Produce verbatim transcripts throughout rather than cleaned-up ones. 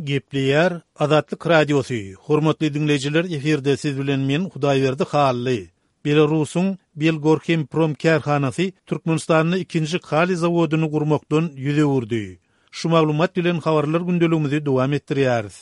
Gepleýär Azatlyk Radiosy, Hormatly diňleýjiler efirde siz bilen men Hudaýberdi Hally. Belarusyň Belgorhemprom kärhanasy Türkmenistanda ikinji kaliý zawodyny gurmakdan ýüz öwürdi. Şu maglumat bilen habarlar gündeligimizi dowam etdirýäris.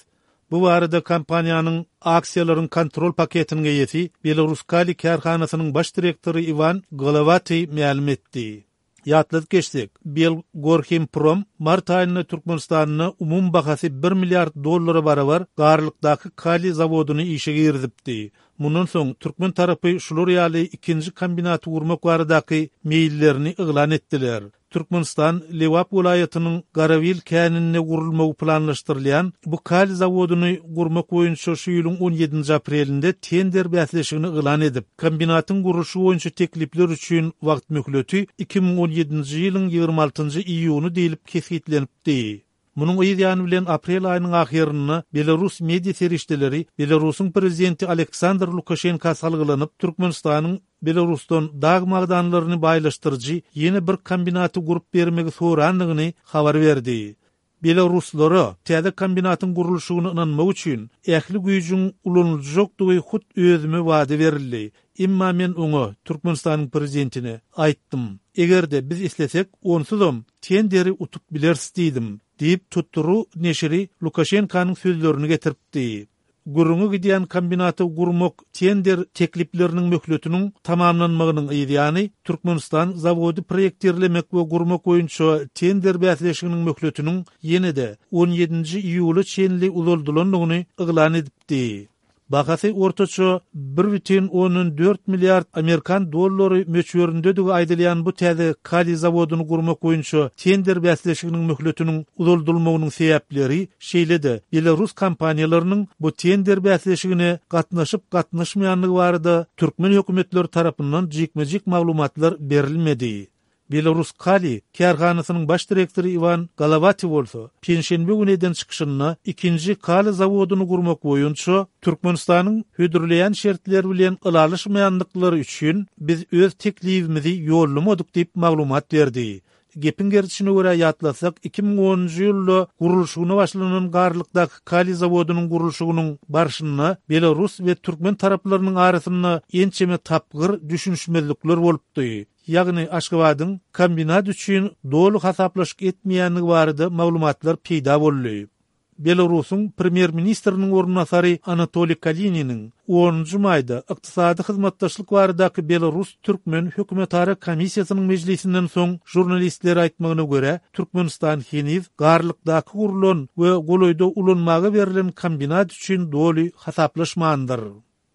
Bu barada kompaniýanyň aksiýalaryň kontrol paketiniň eýesi Belaruskaliý kärhanasynyň baş direktory Iwan Golowatyý mälim etdi. Ýatladyp geçsek, Belgorhimprom mart aýynda Türkmenistanda umumy bahasy bir milliard dollara barabar Garlykdaky kaliý zawodyny işe girizipdi. Mundan soň türkmen tarapy şular ýaly ikinji kombinaty gurmak baradaky meýillerini yglan etdiler. Türkmenistan Lebap welaýatynyň Garabil käninde gurulmagy planlaşdyrylýan bu kaliý zawodyny gurmak boýunça şu ýylyň on ýedinji aprelinde tender bäsleşigini yglan edip, kombinatyň gurluşy boýunça teklipler üçin wagt möhleti iki müň on ýedinji ýylyň ýigrimi altynjy iýuny diýlip kesgitlenipdi. Munuň yz ýany bilen aprel aýynyň ahyrynda belarus media serişdeleri Belarusyň prezidenti Aleksandr Lukaşenka salgylanyp, Türkmenistanyň Belarusdan dag magdanlaryny baýlaşdyryjy ýene bir kombinaty gurup bermegi sorandygyny habar berdi. Belaruslara täze kombinatyň gurluşygyna ynanmak üçin ähli güýjüň ulanyljakdygy hut özüme wada berildi. Emma men oňa, Türkmenistanyň prezidentine, aýtdym, eger-de biz islesek, onsuzam tenderi utup bileris diýdim, diýip, Tutru neşiri Lukaşenkanyň sözlerini getiripdi. Gürrüňi gidýän kombinaty gurmak tender teklipleriniň möhletiniň tamamlanmagynyň yzýany, Türkmenistan zawody proýektirlemek we gurmak boýunça tender bäsleşiginiň möhletiniň ýene-de on ýedinji iýula çenli uzaldylandygyny yglan edipdi. Bahasy ortaça bir bütin ondan dört milliard amerikan dollary möçberindedigi aýdylýan bu täze kaliý zawodyny gurmak boýunça tender bäsleşiginiň möhletiniň uzaldylmagynyň sebäpleri, şeýle-de belarus kompaniýalarynyň bu tender bäsleşigine gatnaşyp-gatnaşmaýandygy barada türkmen hökümetleri tarapyndan jikme-jik maglumatlar berilmedi. Belaruskaliý kärhanasynyň baş direktory Iwan Golowatyý bolsa, penşenbe güni eden çykyşynda ikinji kaliý zawodyny gurmak boýunça Türkmenistanyň hödürleýän şertleri bilen ylalaşmaýandyklary üçin biz öz teklibimizi ýollamadyk diýip maglumat berdi. Gepiň gerdişine görä ýatlasak, iki müň onunjy ýylda gurluşygyna başlanan Garlykdaky kaliý zawodynyň gurluşygynyň barşynda belarus we türkmen taraplarynyň arasynda ençeme tapgyr düşünişmezlikler bolupdy. Ýagny Aşgabadyň kombinat üçin doly hasaplaşyk etmeýändigi barada maglumatlar peýda boldy. Belarusyň premýer-ministriniň orunbasary Anatoliý Kalininiň onunjy maýda ykdysady hyzmatdaşlyk baradaky belarus-türkmen hökümetara komissiýasynyň mejlisinden soň žurnalistlere aýtmagyna görä, Türkmenistan heniz Garlykdaky gurlan we golaýda ulanmaga berlen kombinat üçin doly hasaplaşmandyr.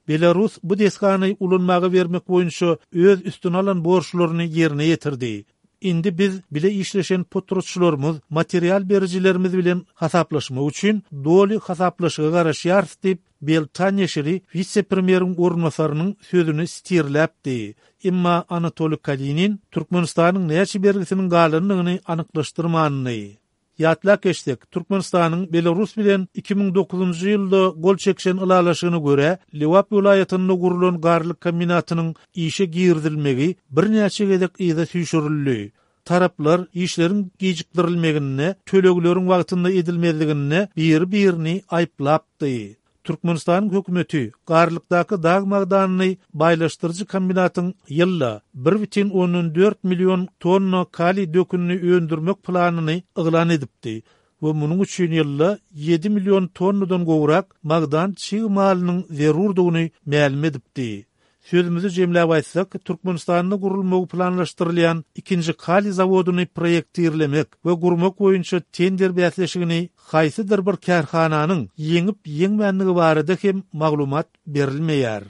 Belarus bu desgany ulanmaga bermek boýunça öz üstüne alan borçlaryny ýerine ýetirdi. Indi biz bile işleşen potratçylarymyz, material berijilerimiz bilen hasaplaşmak üçin doly hasaplaşyga garaşýarys diýip, Belta neşiri wise-premýeriň orunbasarynyň sözüni sitirläpdi. Emma Anatoliý Kalinin Türkmenistanyň näçe bergisiniň galandygyny anyklaşdyrmandy. Ýatlap geçsek, Türkmenistanyň Belarus bilen iki müň dokuzynjy ýylda gol çekişen ylalaşygyna görä, Lebap welaýatynda gurlan garlyk kombinatynyň işe girizilmegi birnäçe gezek yza süýşürildi. Taraplar işleriň gijikdirilmeginde, tölegleriň wagtynda edilmezliginde biri-birini aýyplapdy. Türkmenistanyň hökümeti Garlykdaky dag magdanyny baýlaşdyryjy kombinatyň ýylda bir bütin ondan dört million tonna kaliý dökünini öndürmek planyny yglan edipdi we munuň üçin ýylda ýedi million tonnadan gowrak magdan çig malynyň zerurdygyny mälim edipdi. Sözümizi jemläp aýtsak, Türkmenistanda gurulmagy planlaşdyrylýan ikinji kaliý zawodyny proýektirlemek we gurmak boýunça tender bäsleşigini haýsydyr bir kärhananyň ýeňip-ýeňmändigi barada hem maglumat berilmeýär.